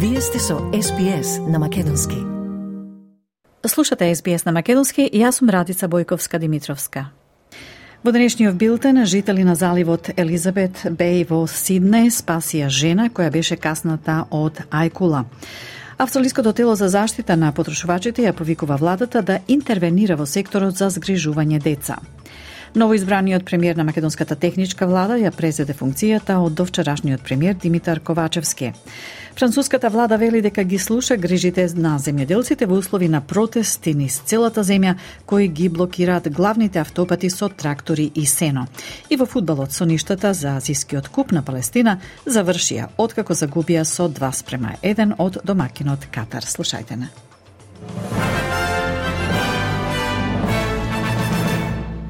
Вие сте со SBS на Македонски. Слушате SBS на Македонски и јас сум Радица Бојковска-Димитровска. Во денешниот билтен, жители на заливот Елизабет Беј во Сиднеј спасија жена која беше касната од ајкула. Австралиското тело за заштита на потрошувачите ја повикува владата да интервенира во секторот за згрижување деца. Новоизбраниот премиер на македонската техничка влада ја презеде функцијата од довчерашниот премиер Димитар Ковачевски. Француската влада вели дека ги слуша грижите на земјоделците во услови на протести низ целата земја кои ги блокираат главните автопати со трактори и сено. И во фудбалот соништата за азискиот куп на Палестина завршија откако загубија со 2:1 од домакинот Катар. Слушајте на.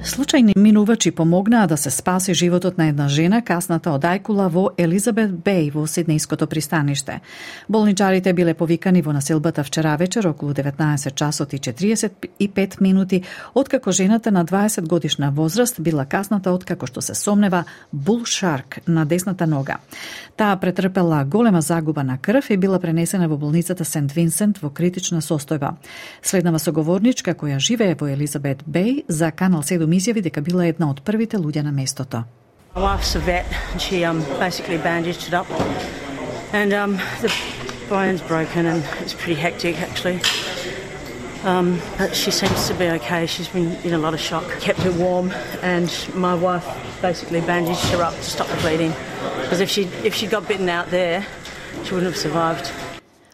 Случајни минувачи помогнаа да се спаси животот на една жена касната од ајкула во Елизабет Беј во Сиднејското пристаниште. Болничарите биле повикани во населбата вчера вечер околу 19 часот и 45 минути, откако жената на 20 годишна возраст била касната откако што се сомнева bull shark на десната нога. Таа претрпела голема загуба на крв и била пренесена во болницата Сент Винсент во критична состојба. Следнава соговорничка која живее во Елизабет Беј за Канал 7 изјави дека била една од првите луѓе на местото. My wife's a vet and she basically bandaged it up and the bone's broken and it's pretty hectic actually. But she seems to be okay. She's been in a lot of shock. Kept her warm and my wife basically bandaged her up to stop the bleeding because if she got bitten out there she wouldn't have survived.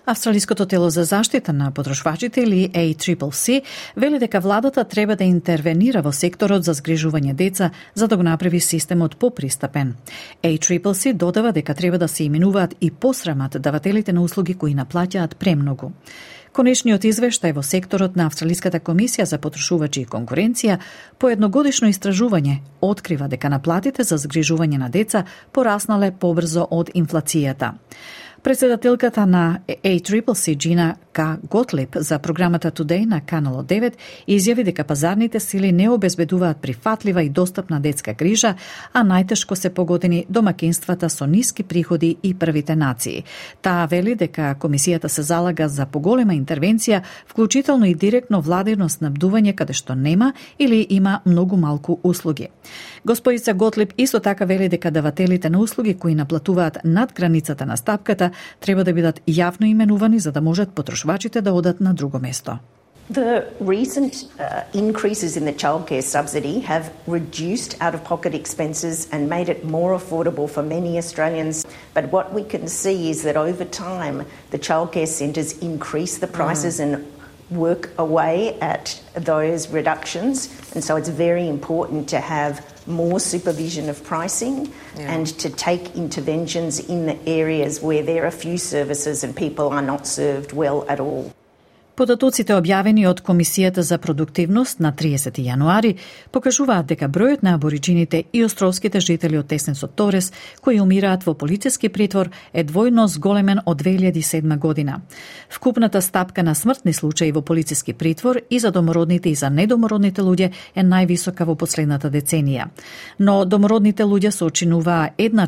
Австралиското тело за заштита на потрошвачите или ACCC вели дека владата треба да интервенира во секторот за згрижување деца за да го направи системот попристапен. ACCC додава дека треба да се именуваат и посрамат давателите на услуги кои наплаќаат премногу. Конечниот извештај во секторот на Австралиската комисија за потрошувачи и конкуренција по едногодишно истражување открива дека наплатите за згрижување на деца пораснале побрзо од инфлацијата. Председателката на ACCC Джина К. Готлип за програмата Today на Канал 9 изјави дека пазарните сили не обезбедуваат прифатлива и достапна детска грижа, а најтешко се погодени домакинствата со ниски приходи и првите нации. Таа вели дека комисијата се залага за поголема интервенција, вклучително и директно владино снабдување каде што нема или има многу малку услуги. Господица Готлип исто така вели дека давателите на услуги кои наплатуваат над границата на стапката треба да бидат јавно именувани за да можат потрошвачите да одат на друго место. The recent increases in the childcare subsidy have reduced out-of-pocket expenses and made it more affordable for many Australians. But what we can see is that over time, the childcare centres increase the prices and work away at those reductions. And so it's very important to have more supervision of pricing and to take interventions in the areas where there are few services and people are not served well at all. Податоците објавени од Комисијата за продуктивност на 30 јануари покажуваат дека бројот на абориџините и островските жители од Теснесот Торес кои умираат во полициски притвор е двојно зголемен од 2007 година. Вкупната стапка на смртни случаи во полициски притвор и за домородните и за недомородните луѓе е највисока во последната деценија. Но домородните луѓе сочинуваа една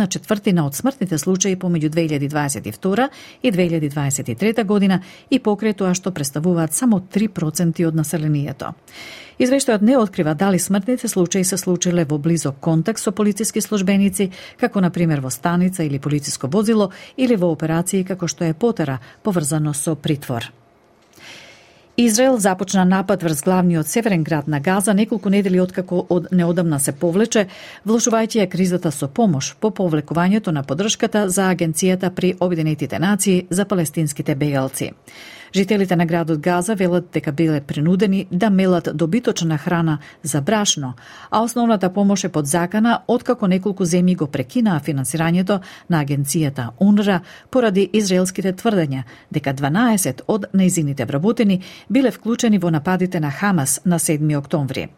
четвртина од смртните случаи помеѓу 2022 и 2023 година и покрај тоа што представуваат само 3% од населението. Извештајот не открива дали смртните случаи се случиле во близок контакт со полициски службеници, како на пример во станица или полициско возило, или во операции како што е потера, поврзано со притвор. Израел започна напад врз главниот северен град на Газа неколку недели откако од неодамна се повлече, влошувајќи ја кризата со помош по повлекувањето на поддршката за Агенцијата при Обединетите нации за палестинските бегалци. Жителите на градот Газа велат дека биле принудени да мелат добиточна храна за брашно, а основната помош е под закана откако неколку земји го прекинаа финансирањето на агенцијата УНРВА поради израелските тврдења дека 12 од нејзините вработени биле вклучени во нападите на Хамас на 7 октомври.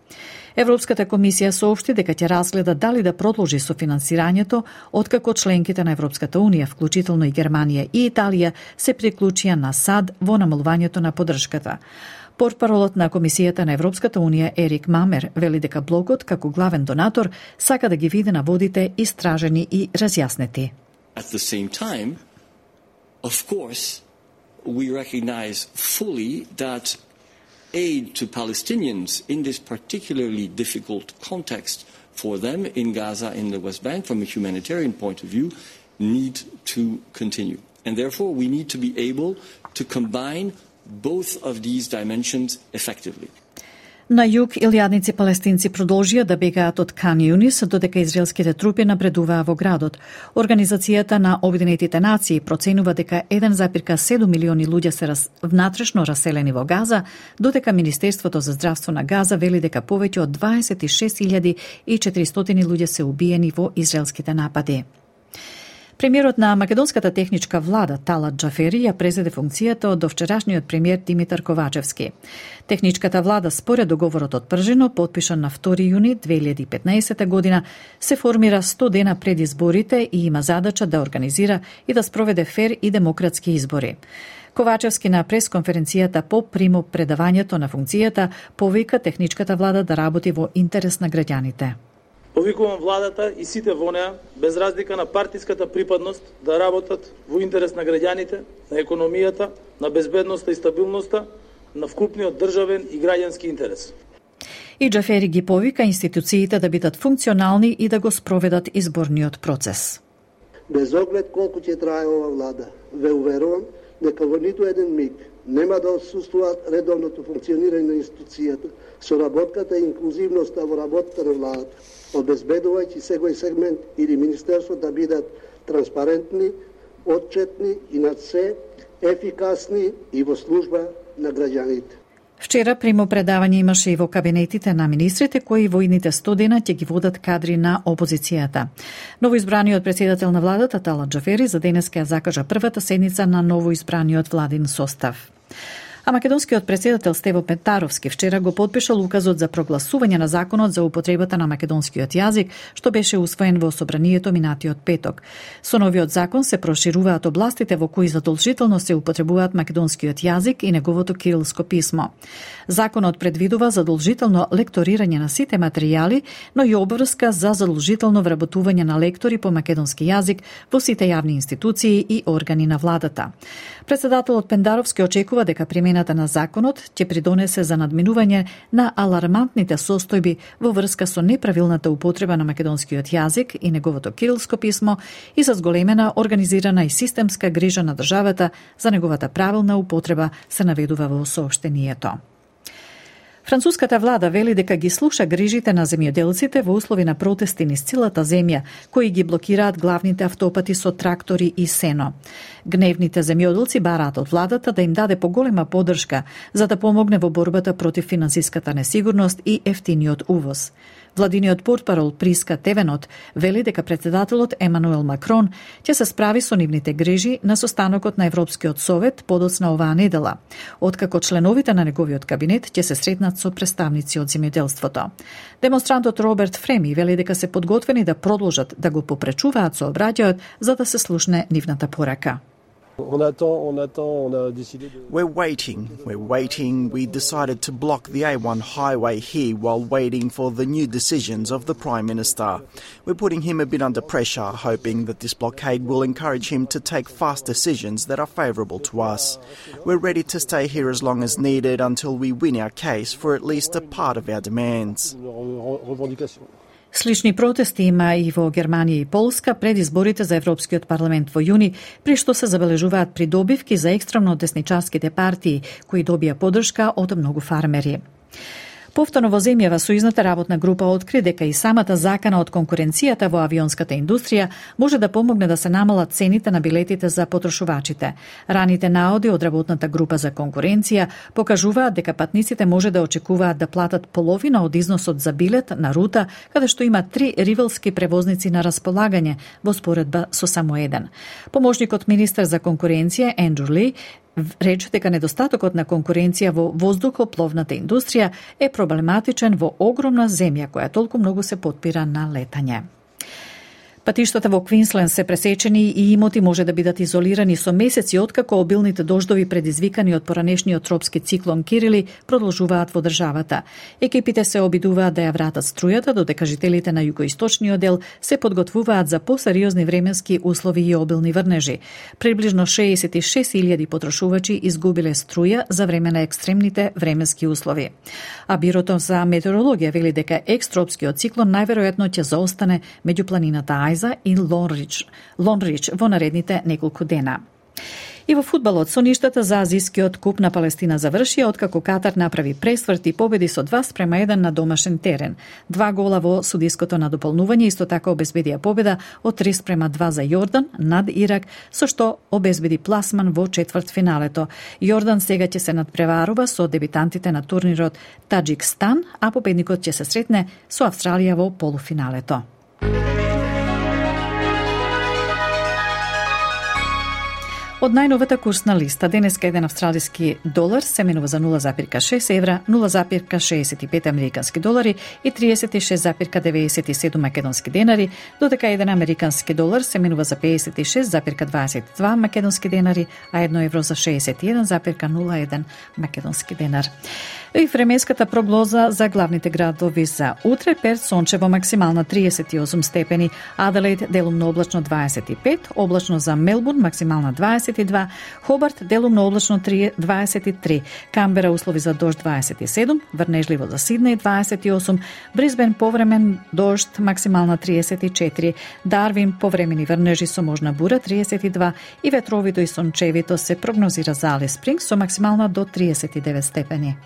Европската комисија соопшти дека ќе разгледа дали да продолжи со финансирањето, откако членките на Европската унија, вклучително и Германија и Италија, се приклучија на САД во намалувањето на поддршката. Портпаролот на Комисијата на Европската унија Ерик Мамер вели дека блокот, како главен донатор, сака да ги види на водите истражени и разјаснети. At the same time, Of course, we recognize fully that aid to Palestinians in this particularly difficult context for them in Gaza, in the West Bank, from a humanitarian point of view, need to continue. And therefore, we need to be able to combine both of these dimensions effectively. На југ, илјадници палестинци продолжија да бегаат од Кан Юнис, додека израелските трупи напредуваа во градот. Организацијата на Обединетите нации проценува дека 1,7 милиони луѓе се внатрешно раселени во Газа, додека Министерството за здравство на Газа вели дека повеќе од 26.400 луѓе се убиени во израелските напади. Премиерот на македонската техничка влада Талат Џафери ја презеде функцијата од довчерашниот премиер Димитар Ковачевски. Техничката влада според договорот од Пржино, потпишан на 2 јуни 2015 година, се формира 100 дена пред изборите и има задача да организира и да спроведе фер и демократски избори. Ковачевски на пресконференцијата по примопредавањето на функцијата повика техничката влада да работи во интерес на граѓаните. Повикувам владата и сите во неа, без разлика на партиската припадност, да работат во интерес на граѓаните, на економијата, на безбедноста и стабилноста, на вкупниот државен и граѓански интерес. И Џафери ги повика институциите да бидат функционални и да го спроведат изборниот процес. Без оглед колку ќе трае ова влада, ве уверувам дека во ниту еден миг нема да отсуствува редовното функционирање на институцијата, соработката и инклузивноста во работата на владата, обезбедувајќи секој сегмент или министерство да бидат транспарентни, отчетни и над се ефикасни и во служба на граѓаните. Вчера примопредавање имаше и во кабинетите на министрите, кои во идните 100 дена ќе ги водат кадри на опозицијата. Новоизбраниот председател на владата Талат Џафери за денеска ја закажа првата седница на новоизбраниот владин состав. А македонскиот председател Стево Петаровски вчера го подпишал указот за прогласување на законот за употребата на македонскиот јазик, што беше усвоен во собранието минатиот петок. Со новиот закон се прошируваат областите во кои задолжително се употребуваат македонскиот јазик и неговото кирилско писмо. Законот предвидува задолжително лекторирање на сите материјали, но и обврска за задолжително вработување на лектори по македонски јазик во сите јавни институции и органи на владата. Председателот Пендаровски очекува дека примената на законот ќе придонесе за надминување на алармантните состојби во врска со неправилната употреба на македонскиот јазик и неговото кирилско писмо и за зголемена, организирана и системска грижа на државата за неговата правилна употреба, се наведува во соопштението. Француската влада вели дека ги слуша грижите на земјоделците во услови на протести низ целата земја, кои ги блокираат главните автопати со трактори и сено. Гневните земјоделци бараат од владата да им даде поголема поддршка за да помогне во борбата против финансиската несигурност и ефтиниот увоз. Владиниот портпарол Приска Тевенот вели дека председателот Емануел Макрон ќе се справи со нивните грижи на состанокот на Европскиот совет подоцна оваа недела, откако членовите на неговиот кабинет ќе се сретнат со представници од земјоделството. Демонстрантот Роберт Фреми вели дека се подготвени да продолжат да го попречуваат сообраќајот за да се слушне нивната порака. We're waiting. We decided to block the A1 highway here while waiting for the new decisions of the Prime Minister. We're putting him a bit under pressure, hoping that this blockade will encourage him to take fast decisions that are favourable to us. We're ready to stay here as long as needed until we win our case for at least a part of our demands. Слични протести има и во Германија и Полска пред изборите за Европскиот парламент во јуни, при што се забележуваат придобивки за екстремно десничарските партии, кои добија поддршка од многу фармери. Повторно во земјава сојузната работна група откри дека и самата закана од конкуренцијата во авионската индустрија може да помогне да се намалат цените на билетите за потрошувачите. Раните наоди од работната група за конкуренција покажуваат дека патниците може да очекуваат да платат половина од износот за билет на рута каде што има 3 ривалски превозници на располагање во споредба со само еден. Поможникот министер за конкуренција Ендрю Ли рече дека недостатокот на конкуренција во воздухопловната индустрија е проблематичен во огромна земја која толку многу се потпира на летање. Патиштата во Квинсленд се пресечени и имоти може да бидат изолирани со месеци откако обилните дождови предизвикани од поранешниот тропски циклон Кирили продолжуваат во државата. Екипите се обидуваат да ја вратат струјата, додека жителите на југоисточниот дел се подготвуваат за посериозни временски услови и обилни врнежи. Приближно 66.000 потрошувачи изгубиле струја за време на екстремните временски услови. А Бирото за метеорологија вели дека екстропскиот циклон најверојатно ќе заостане меѓу планината Ајза и Лонрич во наредните неколку дена. И во фудбалот, соништата за Азискиот куп на Палестина завршија откако Катар направи пресврт и победи со 2:1 на домашен терен. 2 гола во судиското надополнување исто така обезбедија победа од 3:2 за Јордан над Ирак, со што обезбеди пласман во четвртфиналето. Јордан сега ќе се надпреварува со дебитантите на турнирот Таџикстан, а победникот ќе се сретне со Австралија во полуфиналето. Од најновата курсна листа, денеска еден австралиски долар се менува за 0,6 евра, 0,65 американски долари и 36,97 македонски денари, додека еден американски долар се менува за 56,22 македонски денари, а 1 евро за 61,01 македонски денар. И временската прогноза за главните градови за утре: Перт сончево, максимална 38 степени, Аделаид делумно облачно 25, облачно за Мелбурн максимална 22, Хобарт делумно облачно 23, Камбера услови за дожд 27, врнежливо за Сиднеј 28, Брисбен повремен дожд максимална 34, Дарвин повремени врнежи со можна бура 32 и ветровито и сончевито се прогнозира за Алис Спрингс со максимална до 39 степени.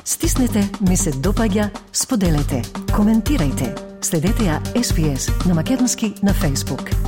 Стиснете, ми се допаѓа, споделете, коментирајте. Следете ја SPS на Македонски на Facebook.